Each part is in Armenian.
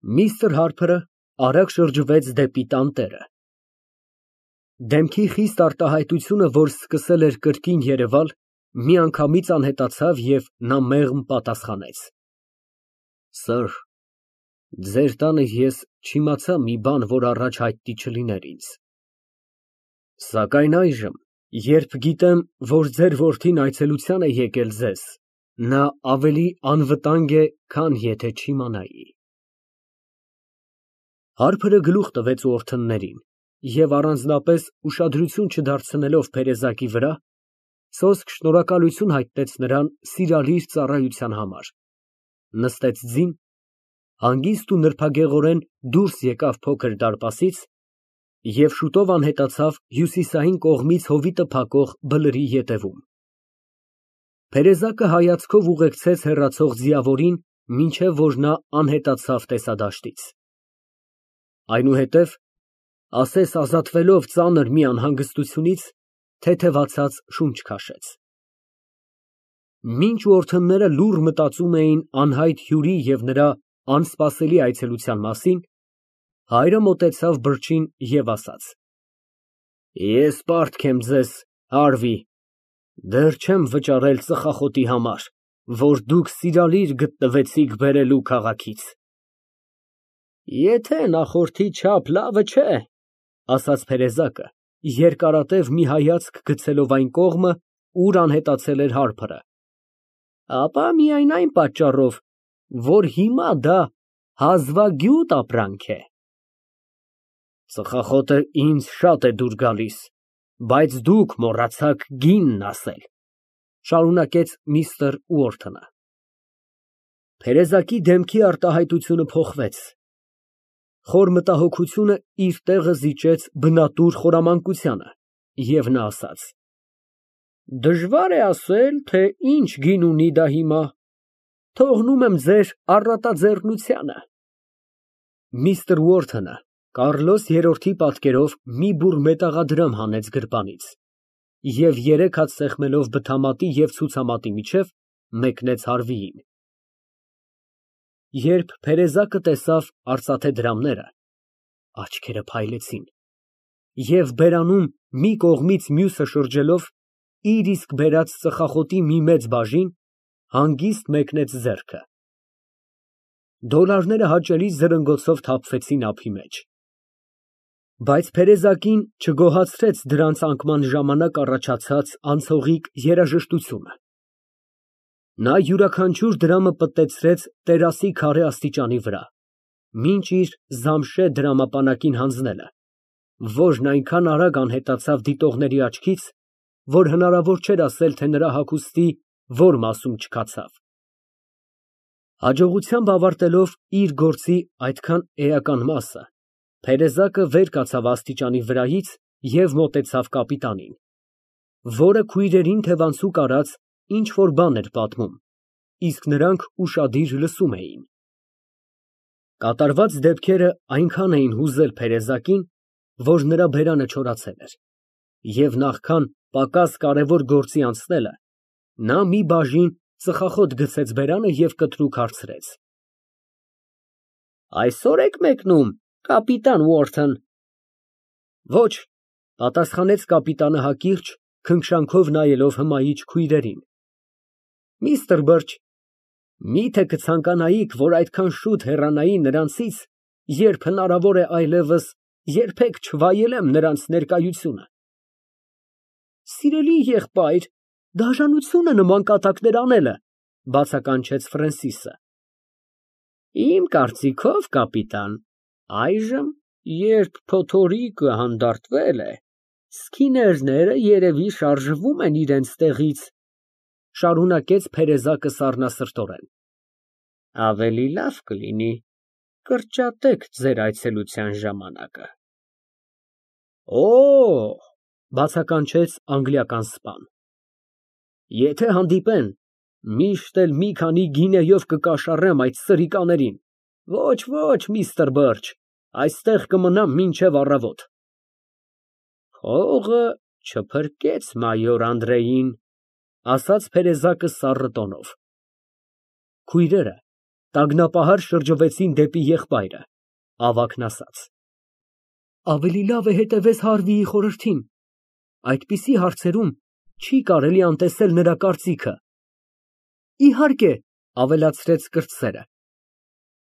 Միստր Հարփրը արագ շրջվեց դեպի տանտերը։ Դեմքի խիստ արտահայտությունը, որ սկսել էր կրկին երևալ, միանգամից անհետացավ, և նա մեղմ պատասխանեց. Սըր, ձեր տանը ես չիմացա մի բան, որ առաջ հայտնի չլիներ ինձ, սակայն այժմ, երբ գիտեմ, որ ձեր որդին այցելության է եկել ձեզ, նա ավելի անվտանգ է, քան եթե չիմանայի։ Հարփրը գլուխ տվեց ուորթններին և, առանձնապես ուշադրություն չդարձնելով Փերեզակի վրա, սոսկ շնորհակալություն հայտնեց նրան սիրալիր ծառայության համար, նստեց ձին, հանգիստ ու նրբագեղորեն դուրս եկավ փոքր դարպասից և շուտով անհետացավ հյուսիսային կողմից հովիտը փակող բլրի ետևում։ Փերեզակը հայացքով ուղեկցեց հեռացող ձիավորին, մինչև որ նա անհետացավ տեսադաշտից։ Այնուհետև, ասես ազատվելով ծանր մի անհանգստությունից, թեթևացած շունչ քաշեց։ Մինչ ուորթնները լուռ մտածում էին անհայտ հյուրի և նրա անսպասելի այցելության մասին, հայրը մոտեցավ բրջին և ասաց. Ես պարտք եմ ձեզ, Հարվի, դեռ չեմ վճարել ծխախոտի համար, որ դուք սիրալիր գտնվեցիք բերելու քաղաքից։ Եթե նախորդի չափ լավը չէ, ասաց Փերեզակը, երկարատև մի հայացք գցելով այն կողմը, ուր անհետացել էր Հարփրը, ապա միայն այն պատճառով, որ հիմա դա հազվագյուտ ապրանք է։ Ծխախոտը ինձ շատ է դուր գալիս, բայց դուք մոռացաք գինն ասել, շարունակեց միստր Ուորթնը։ Փերեզակի դեմքի արտահայտությունը փոխվեց, խոր մտահոգությունը իր տեղը զիջեց բնատուր խորամանկությանը, և նա ասաց. Դժվար է ասել, թե ինչ գին ունի դա հիմա, թողնում եմ ձեր առատաձեռնությանը։ Միստր Ուորթնը Կառլոս III պատկերով մի բուռ մետաղադրամ հանեց գրպանից և, երեք հատ սեղմելով բթամատի և ցուցամատի միջև, մեկնեց Հարվիին։ Երբ Փերեզակը տեսավ արծաթե դրամները, աչքերը փայլեցին, և բերանում մի կողմից մյուսը շրջելով, իր իսկ բերած ծխախոտի մի մեծ բաժին, հանգիստ մեկնեց ձեռքը։ Դոլարները հաճելի զրնգոցով թափվեցին ափի մեջ։ Բայց Փերեզակին չգոհացրեց դրանց անկման ժամանակ առաջացած անցողիկ երաժշտությունը։ Նա յուրաքանչյուր դրամը պտտեցրեց տերասի քարե աստիճանի վրա, մինչ իր զամշե դրամապանակին հանձնելը, որն այնքան արագ անհետացավ դիտողների աչքից, որ հնարավոր չէր ասել, թե նրա հագուստի որ մասում չքացավ։ Հաջողությամբ ավարտելով իր գործի այդքան էական մասը, Փերեզակը վեր կացավ աստիճանի վրայից և մոտեցավ կապիտանին, որը քույրերին թևանցուկ արած ինչ֊որ բան էր պատմում, իսկ նրանք ուշադիր լսում էին։ Կատարված դեպքերը այնքան էին հուզել Փերեզակին, որ նրա բերանը չորացել էր, և նախքան պակաս կարևոր գործի անցնելը, նա մի բաժին ծխախոտ գցեց բերանը և կտրուկ հարցրեց. Այսօր եք մեկնում, կապիտան Ուորթն։ Ոչ, պատասխանեց կապիտանը հակիրճ, քնքշանքով նայելով հմայիչ քույրերին։ Միստր Բըրչ, միթե կցանկանայիք, որ այդքան շուտ հեռանայի նրանցից, երբ հնարավոր է այլևս երբեք չվայելեմ նրանց ներկայությունը։ Սիրելի եղբայր, դաժանություն է նման կատակներ անելը, բացականչեց Ֆրենսիսը։ Իմ կարծիքով, կապիտան, այժմ, երբ փոթորիկը հանդարտվել է, սքիներները երևի շարժվում են իրենց տեղից, շարունակեց Փերեզակը սառնասրտորեն։ Ավելի լավ կլինի կրճատեք ձեր այցելության ժամանակը։ Օ՜, բացականչեց անգլիական սպան։ Եթե հանդիպեն, միշտ էլ մի քանի գինեյով կկաշառեմ այդ սրիկաներին։ Ոչ, միստր Բըրչ, այստեղ կմնամ մինչև առավոտ։ Փողը չփրկեց մայոր Անդրեին, ասաց Փերեզակը սառը տոնով։ Քույրերը, Տագնապահար շրջվեցին դեպի եղբայրը, ավագն ասաց. Ավելի լավ է հետևես Հարվիի խորհրդին, այդպիսի հարցերում չի կարելի անտեսել նրա կարծիքը։ Իհարկե, ավելացրեց կրտսերը,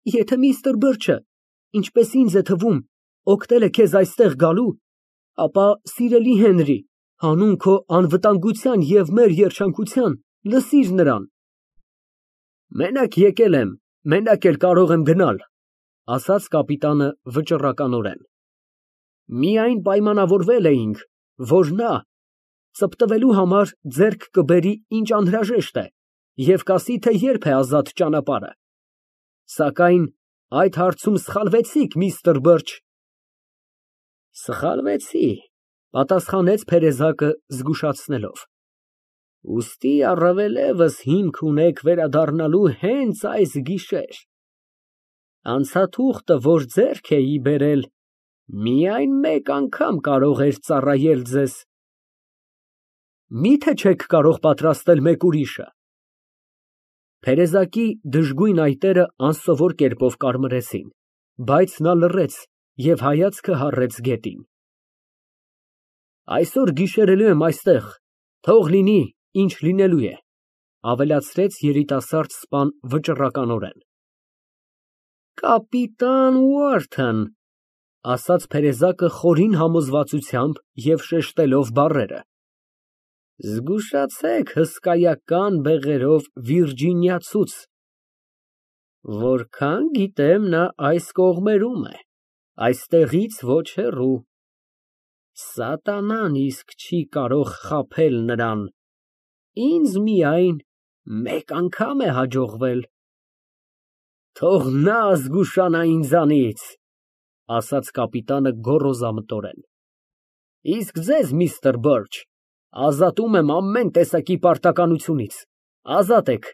եթե միստր Բըրչը, ինչպես ինձ է թվում, օգնել է քեզ այստեղ գալու, ապա, սիրելի Հենրի, հանուն քո անվտանգության և մեր երջանկության, լսիր նրան։ Մենակ եկել եմ, մենակ էլ կարող եմ գնալ, ասաց կապիտանը վճռականորեն։ Միայն պայմանավորվել էինք, որ նա ծպտվելու համար ձեռք կբերի ինչ անհրաժեշտ է և կասի, թե երբ է ազատ ճանապարհը։ Սակայն այդ հարցում սխալվեցիք, միստր Բըրչ։ Սխալվեցի, պատասխանեց Թերեզակը զգուշացնելով։ Ուստի առավելևս հիմք ունեք վերադառնալու հենց այս գիշեր։ Անցաթուղթը, որ ձեռք էի բերել, միայն մեկ անգամ կարող էր ծառայել ձեզ։ Մի՞թե չեք կարող պատրաստել մեկ ուրիշը։ Թերեզակի դժգույն այտերը անսովոր կերպով կարմրեցին, բայց նա լռեց և հայացքը հառեց գետին։ Այսօր գիշերելու եմ այստեղ, թող լինի, ինչ լինելու է, ավելացրեց երիտասարդ սպան վճռականորեն։ Կապիտան Ուորթն, ասաց Թերեզակը խորին համոզվածությամբ և շեշտելով բառերը, զգուշացեք հսկայական բեղերով Վիրջինիացուց։ Որքան գիտեմ, նա այս կողմերում է, այստեղից ոչ հեռու։ Սատանան իսկ չի կարող խաբել նրան, ինձ միայն մեկ անգամ է հաջողվել։ Թող նա զգուշանա ինձանից, ասաց կապիտանը գոռոզամտորեն։ Իսկ ձեզ, միստր Բըրչ, ազատում եմ ամեն տեսակի պարտականությունից, ազատ եք։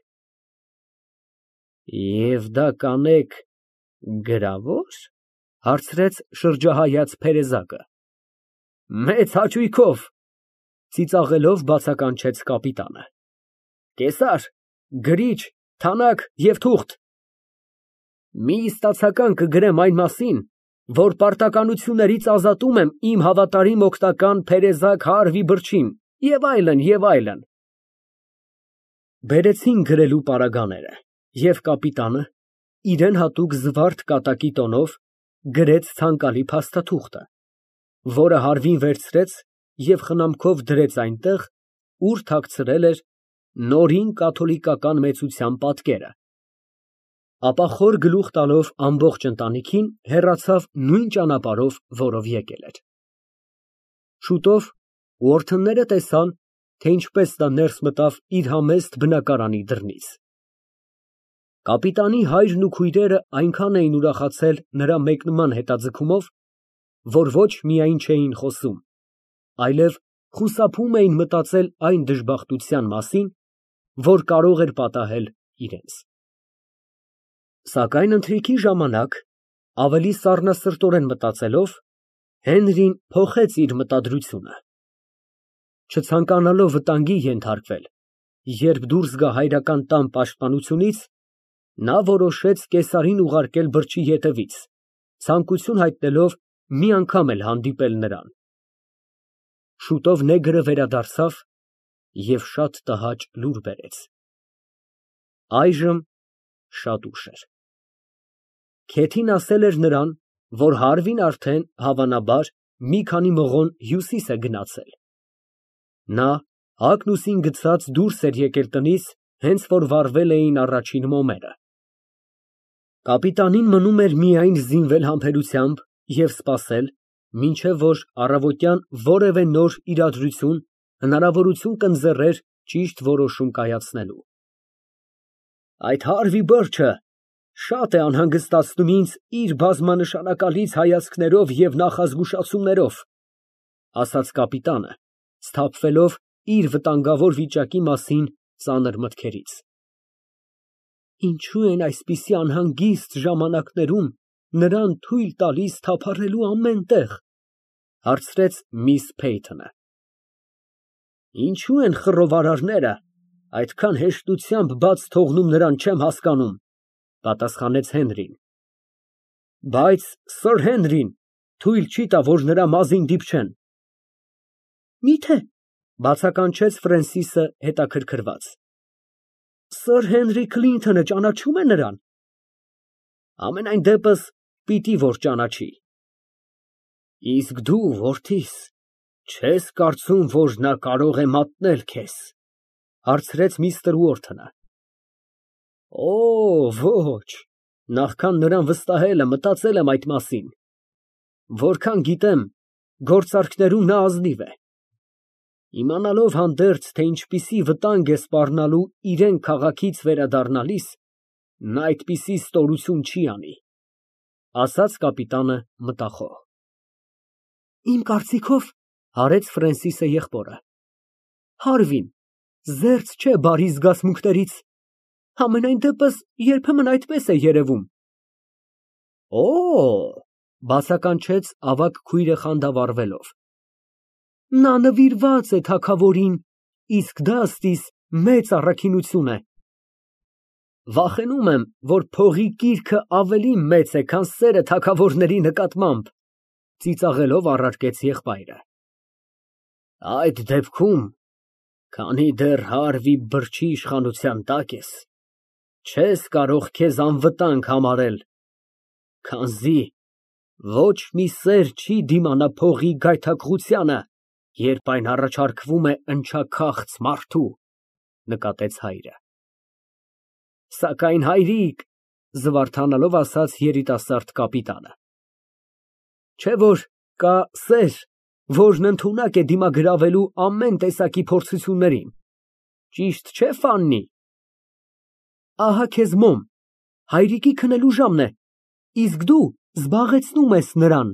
Եվ դա կանեք գրավո՞ր, հարցրեց շրջահայաց Թերեզակը։ Մեծ հաճույքով, ծիծաղելով բացականչեց կապիտանը։ Կեսար, գրիչ, թանաք և թուղթ։ Մի ստացական կգրեմ այն մասին, որ պարտականություններից ազատում եմ իմ հավատարիմ օգնական Թերեզակ Հարվի Բըրչին, և այլն, և այլն։ Բերեցին գրելու պարագաները, և կապիտանը, իրան հատուկ զվարթ կատակի տոնով, գրեց ցանկալի փաստաթուղթը, որը Հարվին վերցրեց և խնամքով դրեց այնտեղ, ուր թաքցրել էր նորին կաթոլիկական մեծության պատկերը, ապա խոր գլուխ տալով ամբողջ ընտանիքին, հեռացավ նույն ճանապարհով, որով եկել էր։ Շուտով Ուորթնները տեսան, թե ինչպես նա ներս մտավ իր համեստ բնակարանի դռնից։ Կապիտանի հայրն ու քույրերը այնքան էին ուրախացել նրա մեկնման հետաձգումով, որ ոչ միայն չէին խոսում, այլև խուսափում էին մտածել այն դժբախտության մասին, որ կարող էր պատահել իրենց։ Սակայն ընթրիքի ժամանակ, ավելի սառնասրտորեն մտածելով, Հենրին փոխեց իր մտադրությունը։ Չցանկանալով վտանգի ենթարկվել, երբ դուրս գա հայրական տան պաշտպանությունից, նա որոշեց կեսարին ուղարկել Բըրչի ետևից, ցանկություն հայտնելով մի անգամ էլ հանդիպել նրան։ Շուտով նեգրը վերադարձավ և շատ տհաճ լուր բերեց։ Այժմ շատ ուշ էր։ Քեթին ասել էր նրան, որ Հարվին արդեն, հավանաբար, մի քանի մղոն հյուսիս է գնացել։ Նա հագնուսին գցած դուրս էր եկել տնից, հենց որ վառվել էին առաջին մոմերը։ Կապիտանին մնում էր միայն զինվել համբերությամբ և սպասել, մինչև որ առավոտյան որևէ նոր իրադրություն հնարավորություն կընձեռեր ճիշտ որոշում կայացնելու։ Այդ Հարվի Բըրչը շատ է անհանգստացնում ինձ իր բազմանշանակալից հայացքներով և նախազգուշացումներով, ասաց կապիտանը, սթափվելով իր վտանգավոր վիճակի մասին ծանր մտքերից։ Ինչո՞ւ են այսպիսի անհանգիստ ժամանակներում նրան թույլ տալիս թափառելու ամեն տեղ, հարցրեց միս Փեյթոնը։ Ինչո՞ւ են խռովարարները այդքան հեշտությամբ բաց թողնում նրան, չեմ հասկանում, Պատասխանեց Հենրին։ Բայց Սըր Հենրին թույլ չի տա, որ նրա մազին դիպչեն։ Մի՞թե, բացականչեց Ֆրենսիսը հետաքրքրված։ Սըր Հենրի Քլինթոնը ճանաչում է նրան։ Համենայն դեպս պիտի որ ճանաչի։ Իսկ դու, որդիս, չես կարծում, որ նա կարող է մատնել քեզ, հարցրեց միստր Ուորթոնը։ Օ, ոչ, նախքան նրան վստահելը մտածել եմ այդ մասին։ Որքան գիտեմ, գործարքներում նա ազնիվ է։ Իմանալով հանդերձ, թե ինչպիսի վտանգ է սպառնալու իրան քաղաքից վերադառնալիս, նա այդպիսի ստորություն չի անի, ասաց կապիտանը մտախոհ։ Իմ կարծիքով, հարեց Ֆրենսիսը եղբորը, Հարվին զերծ չէ բարի զգացմունքներից, համենայն դեպս երբեմն այդպես է երևում։ Օ, բացականչեց ավագ քույրը խանդավառվելով։ Նա նվիրված է թագավորին, իսկ դա ըստիս մեծ առաքինություն է։ Վախենում եմ, որ փողի կիրքը ավելի մեծ է, քան սերը թագավորների նկատմամբ, ծիծաղելով առարկեց եղբայրը։ Այդ դեպքում, քանի դեռ Հարվի բրջի իշխանության տակ ես, չես կարող քեզ անվտանգ համարել, քանզի ոչ մի սեր չի դիմանա փողի գայթակղությանը, երբ այն առաջարկվում է ընչաքաղց մարդու, նկատեց հայրը։ Սակայն հայրիկ, զվարթանալով ասաց երիտասարդ կապիտանը, չէ՞ որ կա սեր, որն ընդունակ է դիմագրավելու ամեն տեսակի փորձություններին, ճիշտ չէ՞, Ֆաննի։ Ահա քեզ մոմ, հայրիկի քնելու ժամն է, իսկ դու զբաղեցնում ես նրան։